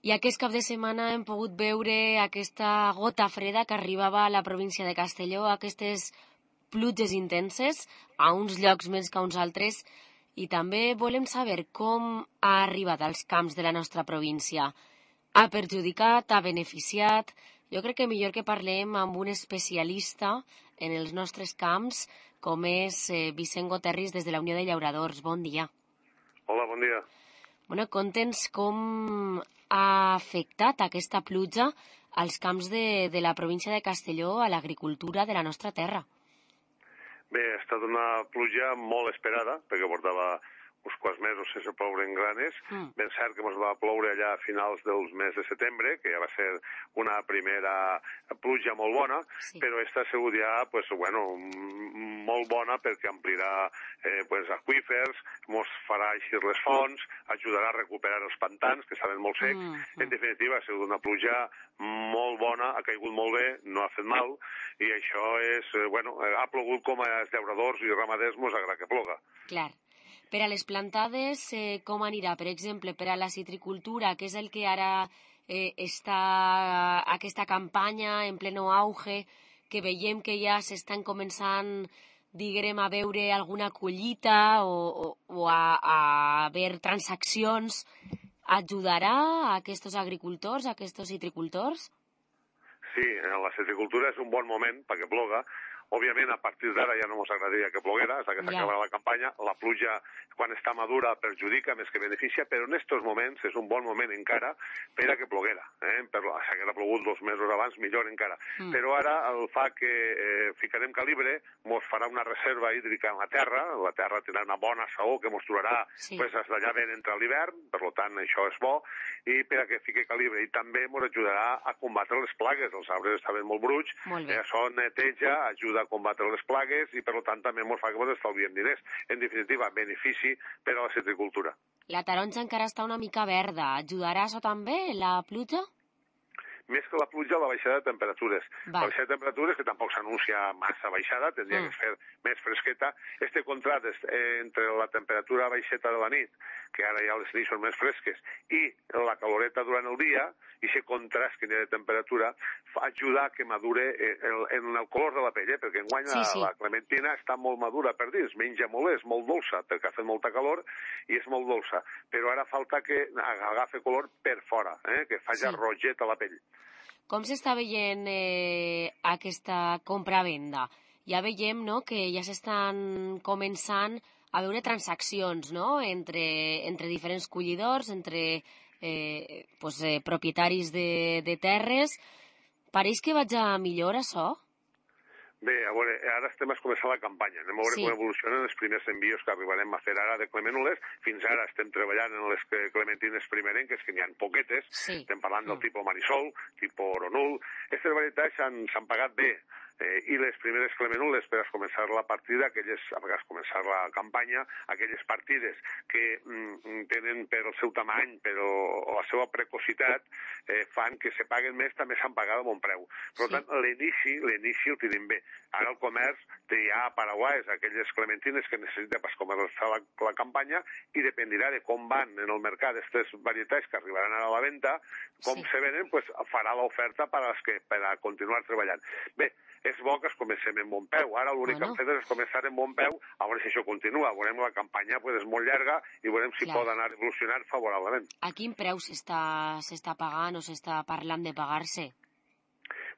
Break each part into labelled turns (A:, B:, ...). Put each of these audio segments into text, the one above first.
A: I aquest cap de setmana hem pogut veure aquesta gota freda que arribava a la província de Castelló, aquestes pluges intenses, a uns llocs més que a uns altres, i també volem saber com ha arribat als camps de la nostra província. Ha perjudicat, ha beneficiat? Jo crec que millor que parlem amb un especialista en els nostres camps, com és Vicent Goterris des de la Unió de Llauradors. Bon dia.
B: Hola, bon dia.
A: Bueno, conta'ns com ha afectat aquesta pluja als camps de la província de Castelló, a l'agricultura de la nostra terra.
B: Bé, ha estat una pluja molt esperada, perquè portava uns quants mesos sense ploure en granes. Ben cert que ens va ploure allà a finals del mes de setembre, que ja va ser una primera pluja molt bona, sí. Però aquesta ha sigut ja molt bona perquè amplirà aqüífers, ens farà eixir les fonts, ajudarà a recuperar els pantans, que estaven molt secs. En definitiva, ha sigut una pluja molt bona, ha caigut molt bé, no ha fet mal, i això és, ha plogut com a llauradors i ramaders ens agrada que ploga.
A: Clar. Per a les plantades, com anirà? Per exemple, per a la citricultura, que és el que ara està aquesta campanya en pleno auge, que veiem que ja s'estan començant, diguem, a veure alguna collita o a haver transaccions, ajudarà a aquests agricultors, a aquests citricultors?
B: Sí, la citricultura és un bon moment perquè ploga. Òbviament, a partir d'ara ja no ens agradaria que ploguera, fins que s'acabarà la campanya. La pluja, quan està madura, perjudica més que beneficia, però en aquests moments és un bon moment encara per a que ploguera. Si haguera plogut 2 mesos abans, millor encara. Però ara el fa que ficarem calibre, ens farà una reserva hídrica en la terra tindrà una bona saó que ens durarà d'allà ben entre l'hivern, per tant això és bo, i per a que fiqui calibre. I també ens ajudarà a combatre les plagues. Els arbres estaven molt bruts, això neteja, ajuda a combatre les plagues i, per tant, també ens fa que ens estalviem diners. En definitiva, benefici per a la citricultura.
A: La taronja encara està una mica verda. Ajudarà això també, la pluja?
B: Més que la pluja, la baixada de temperatures. La baixada de temperatures, que tampoc s'anuncia massa baixada, tindria que fer més fresqueta. Este contrast entre la temperatura baixeta de la nit, que ara ja les nits són més fresques, i la caloreta durant el dia, i aquest contrast que hi ha de temperatura, ajuda que madure en el color de la pell, perquè enguany la clementina està molt madura per dins, menja molt, és molt dolça, perquè ha fet molta calor i és molt dolça. Però ara falta que agafi color per fora, que faci roget a la pell.
A: Com s'està veient aquesta compra-venda? Ja veiem que ja s'estan començant a veure transaccions entre diferents collidors, entre propietaris de terres. Pareix que vaig a millor, això?
B: Bé, a veure, ara estem a començar la campanya. Anem a veure com evolucionen els primers envios que arribarem a fer ara de clemènules. Fins ara estem treballant en les clementines primerenques, que n'hi ha poquetes. Estem parlant del tipus Marisol, tipus Oronul. Aquestes varietats s'han pagat bé. I les primeres clemènules per a començar la partida, començar la campanya, aquelles partides que tenen per el seu tamany, però la seva precocitat, fan que se paguen més, també s'han pagat a bon preu. Per tant, l'inici el tenim bé. Ara el comerç té ja a Paraguai aquelles clementines que necessita per començar la campanya i dependirà de com van en el mercat aquestes varietats que arribaran a la venda, com se venen, farà l'oferta per a continuar treballant. Bé, és bo que es comencem en bon peu. Ara l'únic que hem fet és començar en bon peu, a veure si això continua. Veurem la campanya, és molt llarga i veurem si pot anar evolucionant favorablement.
A: A quin preu s'està pagant o s'està parlant de pagar-se?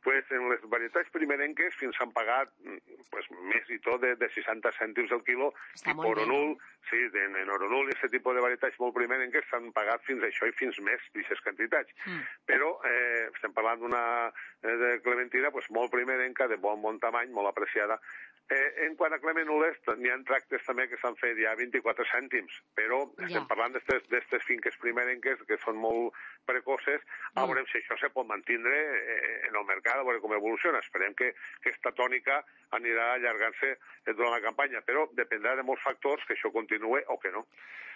B: En les varietats primerenques fins s'han pagat més i tot de 60 cèntims el quilo. Tipus Oronul, en Oronul i aquest tipus de varietats molt primerenques s'han pagat fins això i fins més d'aquestes quantitats. Però estem parlant d'una clementina molt primerenca, de bon tamany, molt apreciada. En quant a clemenules, n'hi ha tractes també que s'han fet ja 24 cèntims, però estem parlant d'aquestes finques primerenques que són molt precoces. A veure si això se pot mantindre en el mercat, a veure com evoluciona. Esperem que aquesta tònica anirà allargant-se durant la campanya, però dependrà de molts factors que això continuï o que no.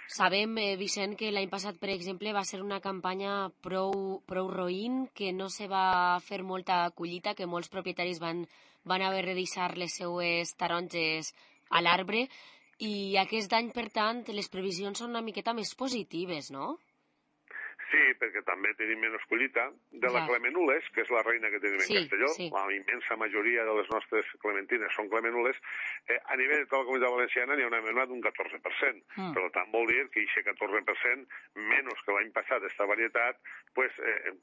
A: Sabem, Vicent, que l'any passat, per exemple, va ser una campanya prou roïn, que no se va fer molta collita, que molts propietaris van haver de deixar les seues taronges a l'arbre, i aquest any, per tant, les previsions són una miqueta més positives, no?
B: Sí, perquè també tenim menys collita de la Clemenules, que és la reina que tenim en Castelló. La immensa majoria de les nostres clementines són Clemenules. A nivell de tota la comunitat valenciana n'hi ha una menor d'un 14%. Per tant, vol dir que aquest 14%, menys que l'any passat, aquesta varietat,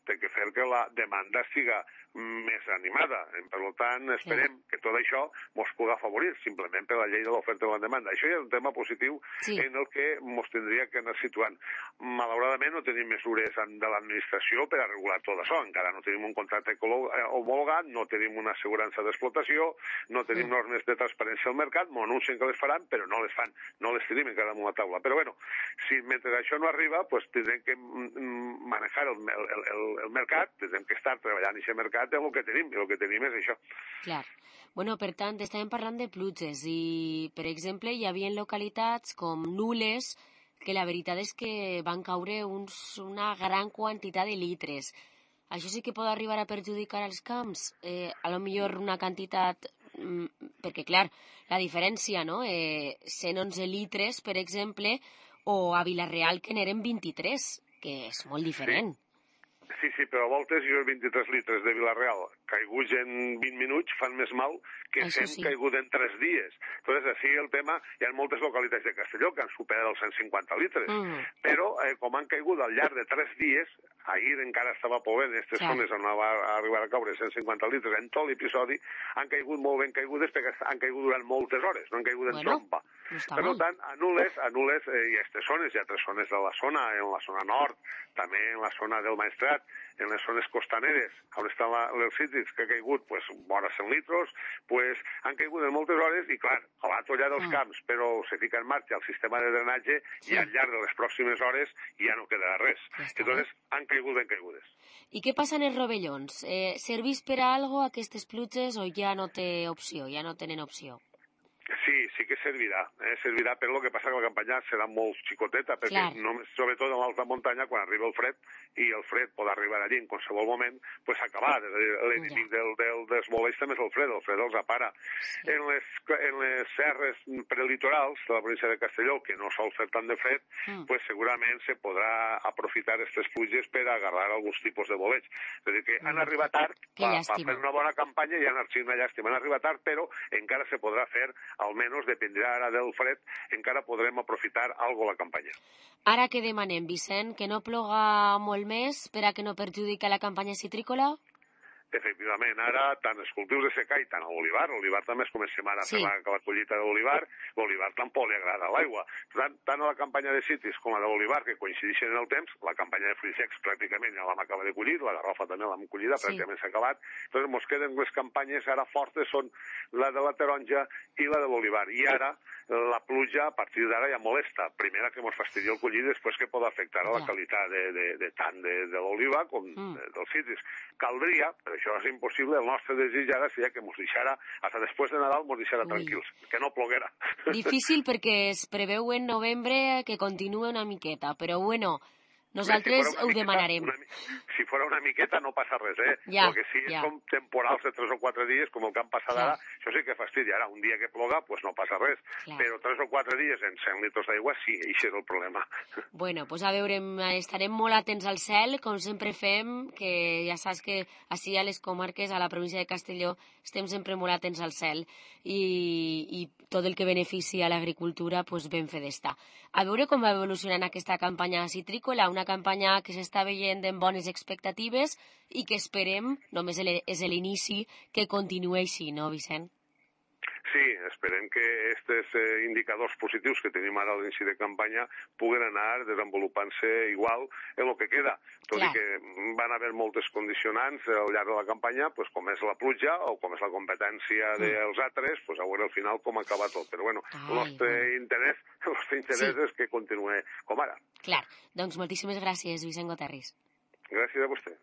B: té que fer que la demanda siga més animada. Per tant, esperem que tot això ens pugui afavorir, simplement per la llei de l'oferta i la demanda. Això ja és un tema positiu en el que ens tindria que anar situant. Malauradament no tenim mesures de l'administració per a regular tot això. Encara no tenim un contracte homologat, no tenim una assegurança d'explotació, no tenim normes de transparència al mercat, m'ho anuncien que les faran, però no les fan, no les tenim encara damunt la taula. Però bueno, si mentre això no arriba, tindrem que manejar el mercat, tindrem que estar treballant en aquest mercat amb el que tenim, i el que tenim és això.
A: Clar. Bueno, per tant, estàvem parlant de pluges i, per exemple, hi havia localitats com Nules que la veritat és que van caure una gran quantitat de litres. Això sí que pot arribar a perjudicar els camps? A lo millor una quantitat... perquè, clar, la diferència, no? 111 litres, per exemple, o a Vila-real que n'eren 23, que és molt diferent.
B: Sí, però a voltes jo 23 litres de Vila-real caiguts en 20 minuts fan més mal que 100 caigut en 3 dies. Entonces, així el tema, hi ha moltes localitats de Castelló que han superat els 150 litres, però com han caigut al llarg de 3 dies, ahir encara estava plovent, aquestes zones on va arribar a caure 150 litres en tot l'episodi, han caigut molt ben caigudes perquè han caigut durant moltes hores, no han caigut en trompa. Per tant, a Nules i aquestes zones, hi ha altres zones de la zona, en la zona nord, també en la zona del Maestrat, en les zones costaneres, on estan els cítrics, que ha caigut vora 100 litres, han caigut en moltes hores i, clar, a l'atollà dels camps, però se fica en marxa el sistema de drenatge i al llarg de les pròximes hores ja no quedarà res. Entonces, han caigut ben caigudes.
A: I què passa en els rovellons? Serveix per a alguna cosa aquestes pluges o ja no té opció, ja no tenen opció?
B: Sí que servirà. Servirà, però el que passa que la campanya serà molt xicoteta, perquè sobretot en l'alta muntanya, quan arriba el fred, i el fred pot arribar allí en qualsevol moment, s'acabar. L'enemic dels bolets també és el fred els apara. En les serres prelitorals de la província de Castelló, que no sol fer tant de fred, segurament se podrà aprofitar aquestes pluges per agarrar alguns tipus de bolets. És a dir, que han arribat tard, va fer una bona campanya i han arxivat una llàstima. Han arribat tard, però encara se podrà fer, almenys dependrà ara del fred, encara podrem aprofitar alguna la campanya.
A: Ara què demanem, Vicent? Que no ploga molt més per a que no perjudica la campanya citrícola?
B: Efectivament, ara tant els cultius de secà i tant l'olivar també es comencem ara a fer la collita de l'olivar tampoc li agrada l'aigua. Tant a la campanya de cítrics com a de l'olivar, que coincideixen en el temps, la campanya de fruits secs pràcticament ja l'hem acabat de collir, la garrofa també l'hem collida, pràcticament s'ha acabat. Entonces, ens queden les campanyes ara fortes, són la de la taronja i la de l'olivar. I ara la pluja, a partir d'ara, ja molesta. Primera, que ens fastidia el collir, després que pot afectar a la qualitat tant de l'oliva com dels cítrics. Caldria, però això és impossible, el nostre desig ara seria que ens deixara, fins després de Nadal, ens deixara tranquils, que no ploguera.
A: Difícil perquè es preveu en novembre que continua una miqueta, però bueno, nosaltres ho demanarem.
B: Si fora una miqueta no passa res, El que sí són temporals de 3 o 4 dies, com el que han passat ara, això sí que fastidia. Ara, un dia que ploga, no passa res. Però 3 o 4 dies en 100 litres d'aigua, sí, això és el problema.
A: Bueno, doncs a veure, estarem molt atents al cel, com sempre fem, que ja saps que així a les comarques, a la província de Castelló, estem sempre molt atents al cel i tot el que beneficia a l'agricultura, ben fet està. A veure com va evolucionant aquesta campanya citrícola, una campanya que s'està veient amb bones expectatives i que esperem, només és l'inici, que continuï així, no, Vicent?
B: Sí, esperem que aquests indicadors positius que tenim ara a l'inici de campanya puguen anar desenvolupant-se igual en el que queda. Tot i que van haver moltes condicionants al llarg de la campanya, com és la pluja o com és la competència dels altres, a veure al final com acaba tot. Però bueno, el nostre interès és que continuï com ara.
A: Clar, doncs moltíssimes gràcies, Vicent Goterris.
B: Gràcies a vostè.